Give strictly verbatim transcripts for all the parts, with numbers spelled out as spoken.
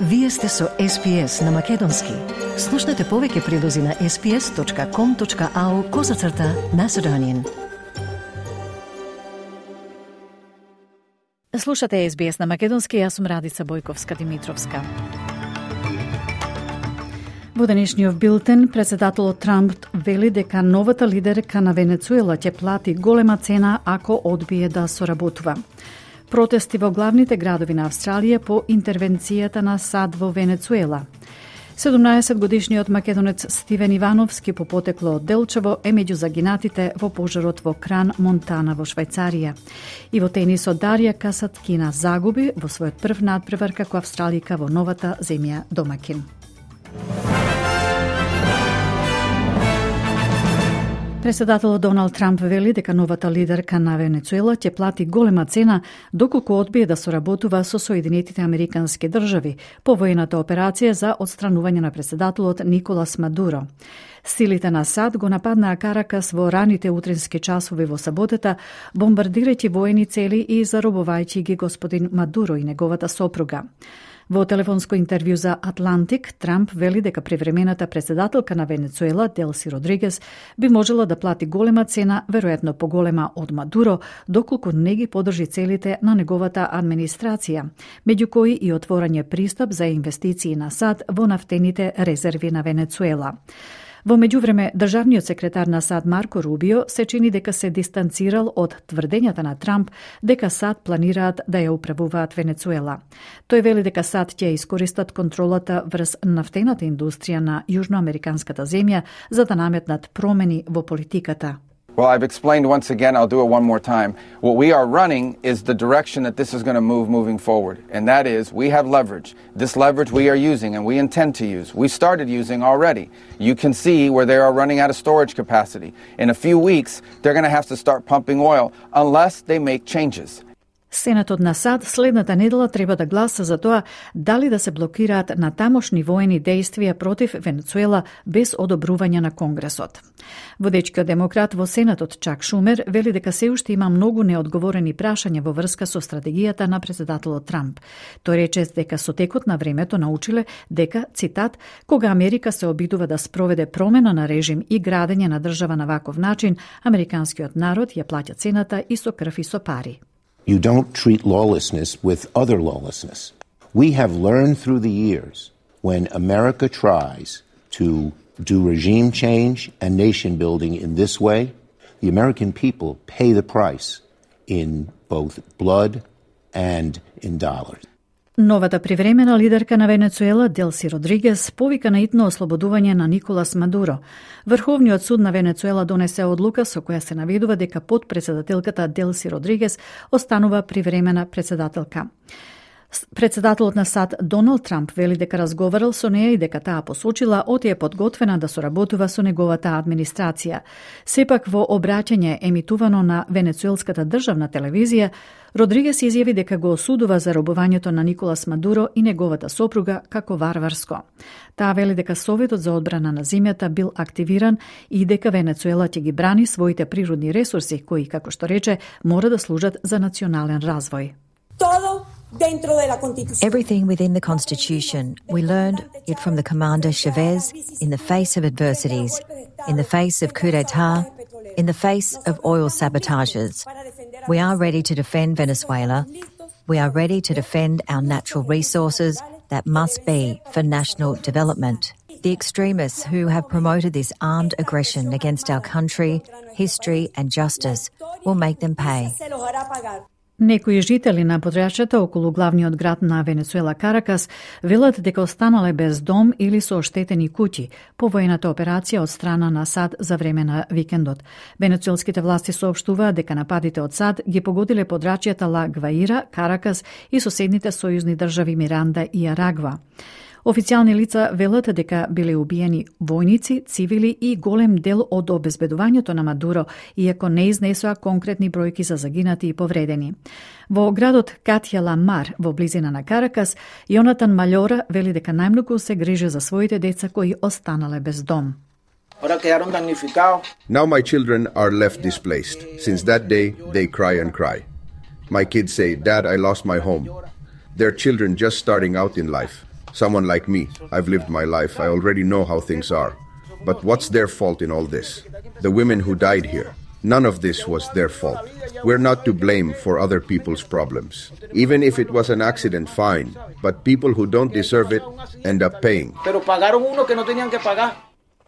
Вие сте со Ес Би Ес на Македонски. Слушнете повеќе прилози на ес би ес точка ком точка ау козацрта Macedonian. Слушате Ес Би Ес на Македонски, јас сум Радица Бојковска-Димитровска. Во денешниот билтен, председателот Трамп вели дека новата лидерка на Венецуела ќе плати голема цена ако одбие да соработува. Протести во главните градови на Австралија по интервенцијата на САД во Венецуела. седумнаесет годишниот македонец Стивен Ивановски по потекло од Делчево е меѓу загинатите во пожарот во Кран, Монтана во Швајцарија. И во тенисот Дарија Касаткина загуби во својот прв надпревар како австралика во новата земја домакин. Председателот Доналд Трамп вели дека новата лидерка на Венецуела ќе плати голема цена доколку одбие да соработува со Соединетите Американски држави по воената операција за отстранување на председателот Николас Мадуро. Силите на САД го нападнаа Каракас во раните утрински часови во саботата, бомбардирајќи воени цели и заробувајќи ги господин Мадуро и неговата сопруга. Во телефонско интервју за Атлантик, Трамп вели дека превремената председателка на Венецуела, Делси Родригес, би можела да плати голема цена, веројатно поголема од Мадуро, доколку не ги подржи целите на неговата администрација, меѓу кои и отворање пристап за инвестиции на САД во нафтените резерви на Венецуела. Во меѓувреме, државниот секретар на САД Марко Рубио се чини дека се дистанцирал од тврдењата на Трамп дека САД планираат да ја управуваат Венецуела. Тој вели дека САД ќе искористат контролата врз нафтената индустрија на јужноамериканската земја за да наметнат промени во политиката. Well, I've explained once again, I'll do it one more time. What we are running is the direction that this is going to move moving forward. And that is, we have leverage. This leverage we are using and we intend to use. We started using already. You can see where they are running out of storage capacity. In a few weeks, they're going to have to start pumping oil unless they make changes. Сенатот на САД следната недела треба да гласа за тоа дали да се блокираат на тамошни воени действија против Венецуела без одобрување на Конгресот. Водечкиот демократ во Сенатот Чак Шумер вели дека се уште има многу неодговорени прашања во врска со стратегијата на председателот Трамп. Тој рече дека со текот на времето научиле дека, цитат, кога Америка се обидува да спроведе промена на режим и градење на држава на ваков начин, американскиот народ ја плаќа цената и со крв и со пари. You don't treat lawlessness with other lawlessness. We have learned through the years when America tries to do regime change and nation building in this way, the American people pay the price in both blood and in dollars. Новата привремена лидерка на Венецуела, Делси Родригес, повика на итно ослободување на Николас Мадуро. Врховниот суд на Венецуела донесе одлука со која се наведува дека подпредседателката Делси Родригес останува привремена председателка. Председателот на САД Доналд Трамп вели дека разговарал со неја и дека таа посочила оти е подготвена да соработува со неговата администрација. Сепак во обраќање емитувано на венецуелската државна телевизија, Родригес изјави дека го осудува заробувањето на Николас Мадуро и неговата сопруга како варварско. Таа вели дека Советот за одбрана на земјата бил активиран и дека Венецуела ќе ги брани своите природни ресурси, кои, како што рече, мора да служат за национален развој. Everything within the Constitution. We learned it from the Commander Chavez in the face of adversities, in the face of coup d'etat, in the face of oil sabotages. We are ready to defend Venezuela. We are ready to defend our natural resources that must be for national development. The extremists who have promoted this armed aggression against our country, history and justice will make them pay. Некои жители на подрачјата околу главниот град на Венецуела Каракас велат дека останале без дом или со оштетени куќи по воената операција од страна на САД за време на викендот. Венецуелските власти соопштуваат дека нападите од САД ги погодиле подрачјата Ла Гваира, Каракас и соседните сојузни држави Миранда и Арагва. Официјални лица велат дека биле убиени војници, цивили и голем дел од обезбедувањето на Мадуро, иако не изнесоа конкретни бројки за загинати и повредени. Во градот Катја Ла Мар, во близина на Каракас, Јонатан Маљора вели дека најмногу се грижи за своите деца кои останале без дом. Now my children are left displaced. Since that day, they cry and cry. My kids say, "Dad, I lost my home." They're children just starting out in life. Someone like me, I've lived my life, I already know how things are. But what's their fault in all this? The women who died here. None of this was their fault. We're not to blame for other people's problems. Even if it was an accident, fine. But people who don't deserve it end up paying. Pero pagaron uno que no tenían que pagar.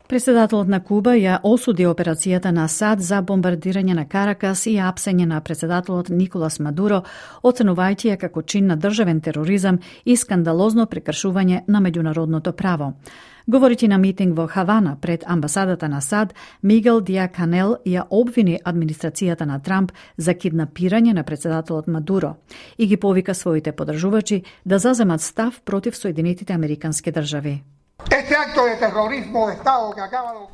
Председателот на Куба ја осуди операцијата на САД за бомбардирање на Каракас и апсење на председателот Николас Мадуро, оценувајќи ја како чин на државен тероризам и скандалозно прекршување на меѓународното право. Говорејќи на митинг во Хавана пред амбасадата на САД, Мигел Дијаканел ја обвини администрацијата на Трамп за киднапирање на председателот Мадуро и ги повика своите поддржувачи да заземат став против Соединетите Американски држави.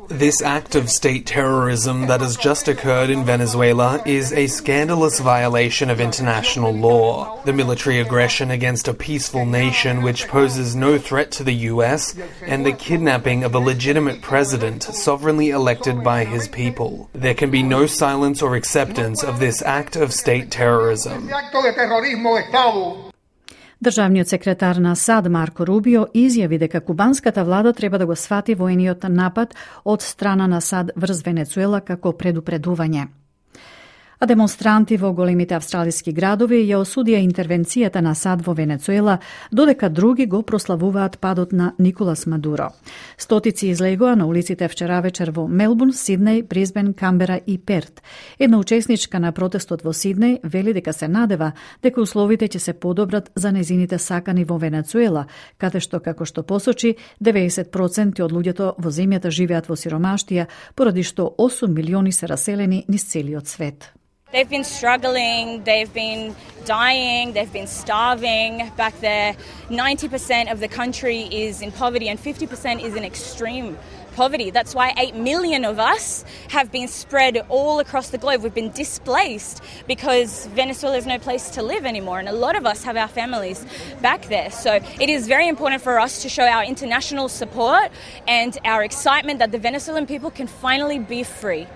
This act of state terrorism that has just occurred in Venezuela is a scandalous violation of international law. The military aggression against a peaceful nation which poses no threat to the U S and the kidnapping of a legitimate president sovereignly elected by his people. There can be no silence or acceptance of this act of state terrorism. Државниот секретар на САД Марко Рубио изјави дека кубанската влада треба да го свати воениот напад од страна на САД врз Венецуела како предупредување. А демонстранти во големите австралиски градови ја осудија интервенцијата на САД во Венецуела, додека други го прославуваат падот на Николас Мадуро. Стотици излегоа на улиците вчера вечер во Мелбурн, Сиднеј, Брисбен, Камбера и Перт. Една учесничка на протестот во Сиднеј вели дека се надева дека условите ќе се подобрат за незините сакани во Венецуела, каде што, како што посочи, деветдесет проценти од луѓето во земјата живеат во сиромаштија, поради што осум милиони се раселени низ целиот свет. They've been struggling, they've been dying, they've been starving. Back there, ninety percent of the country is in poverty and fifty percent is in extreme poverty. That's why eight million of us have been spread all across the globe. We've been displaced because Venezuela is no place to live anymore, and a lot of us have our families back there. So it is very important for us to show our international support and our excitement that the Venezuelan people can finally be free.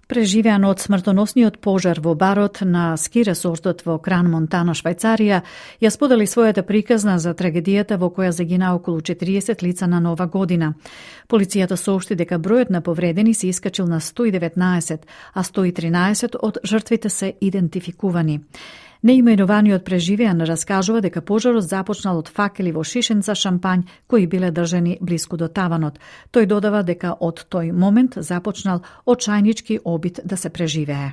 Преживеан од смртоносниот пожар во барот на ски ресортот во Кран Монтана, Швајцарија, ја сподели својата приказна за трагедијата во која загина околу четириесет лица на Нова година. Полицијата соопшти дека бројот на повредени се искачил на сто и деветнаесет, а сто и тринаесет од жртвите се идентификувани. Неименуваниот преживеан раскажува дека пожарот започнал од факели во шишенца шампањ кои биле држани блиску до таванот. Тој додава дека од тој момент започнал очајнички обид да се преживее.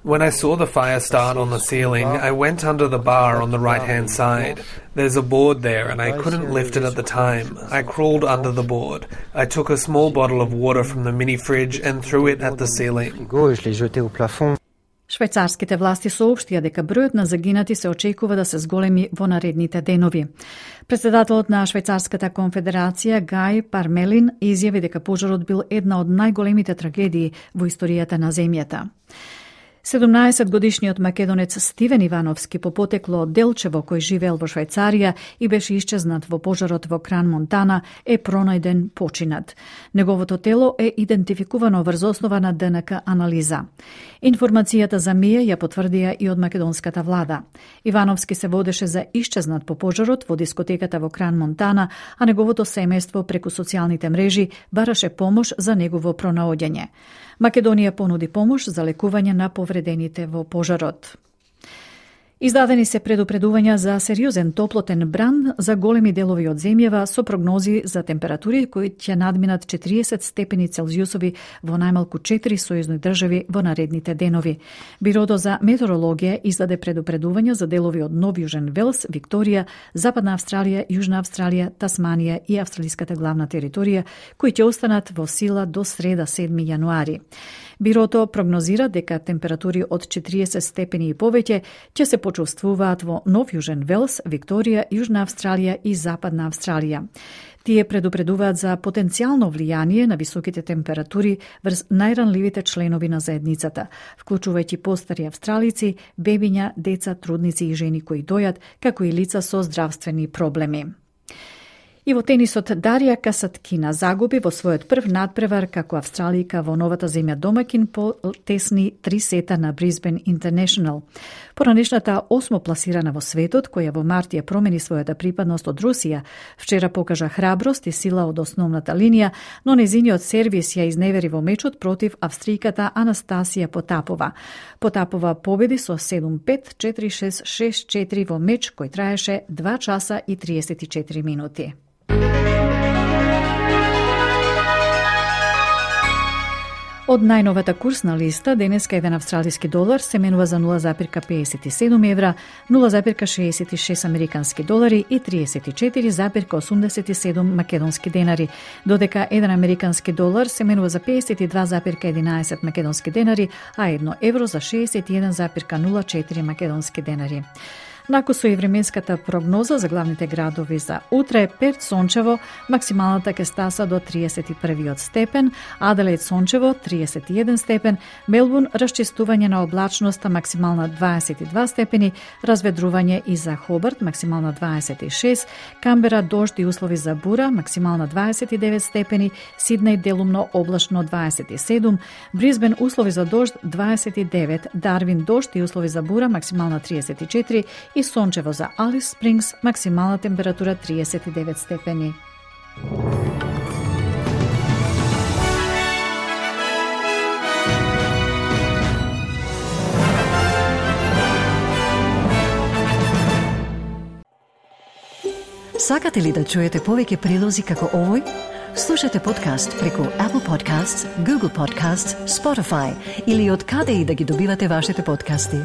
When I saw the fire start on the ceiling, I went under the bar on the right-hand side. There's a board there and I couldn't lift it at the time. I crawled under the board. I took a small bottle of water from the mini fridge and threw it at the ceiling. Швајцарските власти соопштија дека бројот на загинати се очекува да се зголеми во наредните денови. Председателот на Швајцарската конфедерација Гај Пармелин изјави дека пожарот бил една од најголемите трагедии во историјата на земјата. седумнаесетгодишниот македонец Стивен Ивановски по потекло од Делчево, кој живеел во Швајцарија и беше исчезнат во пожарот во Кран Монтана, е пронајден починат. Неговото тело е идентификувано врз основа на Д Н К анализа. Информацијата за МИЕ ја потврдија и од македонската влада. Ивановски се водеше за исчезнат по пожарот во дискотеката во Кран Монтана, а неговото семејство преку социјалните мрежи бараше помош за негово пронаоѓање. Македонија понуди помош за лекување на повредените во пожарот. Издадени се предупредувања за сериозен топлотен бран за големи делови од земјава со прогнози за температури кои ќе надминат четириесет степени Целзиусови во најмалку четири сојузни држави во наредните денови. Бирото за метеорологија издаде предупредувања за делови од Нов Јужен Велс, Викторија, Западна Австралија, Јужна Австралија, Тасманија и австралиската главна територија, кои ќе останат во сила до среда седми јануари. Бирото прогнозира дека температури од четириесет степени и повеќе ќе се почувствуваат во Нов Јужен Велс, Викторија, Јужна Австралија и Западна Австралија. Тие предупредуваат за потенцијално влијание на високите температури врз најранливите членови на заедницата, вклучувајќи постари австралици, бебиња, деца, трудници и жени кои дојат, како и лица со здравствени проблеми. И во тенисот Дарија Касаткина загуби во својот прв надпревар како австралијка во новата земја домакин по тесни три сета на Brisbane International. Поранешната осмо пласирана во светот, која во март ја промени својата припадност од Русија, вчера покажа храброст и сила од основната линија, но незиниот сервис ја изневери во мечот против австријката Анастасија Потапова. Потапова победи со седум пет, четири шест, шест четири во меч кој траеше два часа и триесет и четири минути. Од најновата курсна листа, денеска еден австралиски долар се менува за нула запирка педесет и седум евра, нула запирка шеесет и шест американски долари и триесет и четири запирка осумдесет и седум македонски денари, додека еден американски долар се менува за педесет и два запирка единаесет македонски денари, а едно евро за шеесет и еден запирка нула четири македонски денари. Накусо и временската прогноза за главните градови за утре: Перт сончево, максималната ќе стаса до триесет и првиот степен, Аделаид сончево триесет и еден степен, Мелбурн расчистување на облачноста, максимална дваесет и два степени, разведрување и за Хобарт, максимална дваесет и шест, Камбера дожд и услови за бура, максимална дваесет и девет степени, Сиднеј делумно облачно дваесет и седум, Брисбен услови за дожд дваесет и девет, Дарвин дожд и услови за бура, максимална триесет и четири и сончево за Алис Спрингс, максимална температура триесет и девет степени. Сакате ли да чуете повеќе прилози како овој? Слушате подкаст преку Apple Podcasts, Google Podcasts, Spotify или од каде и да ги добивате вашите подкасти.